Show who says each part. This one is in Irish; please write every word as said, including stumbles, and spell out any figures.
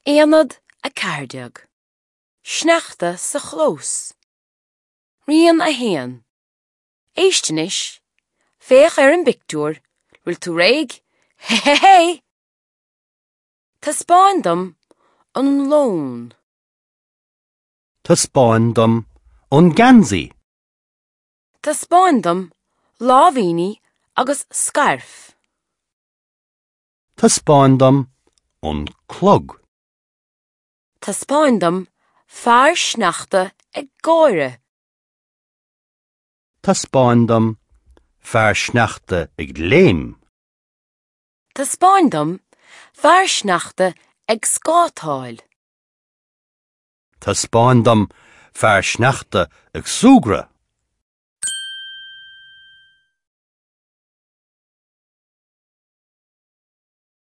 Speaker 1: Aonad a ceathair déag. Sneachta sa chlós. Rian a haon. Éist anois. Féach ar an bpictiúr. Bhfuil tú réidh? Hé hé hé! Taispeáin dom an leon.
Speaker 2: Taispeáin dom an geansaí.
Speaker 1: Taispeáin dom láimhíní agus scairf.
Speaker 2: Taispeáin dom an clog.
Speaker 1: Taispeáin dom fear sneachta ag gáire.
Speaker 2: Taispeáin dom fear sneachta ag léim.
Speaker 1: Taispeáin dom fear sneachta ag scátáil.
Speaker 2: Taispeáin dom fear sneachta ag súgradh.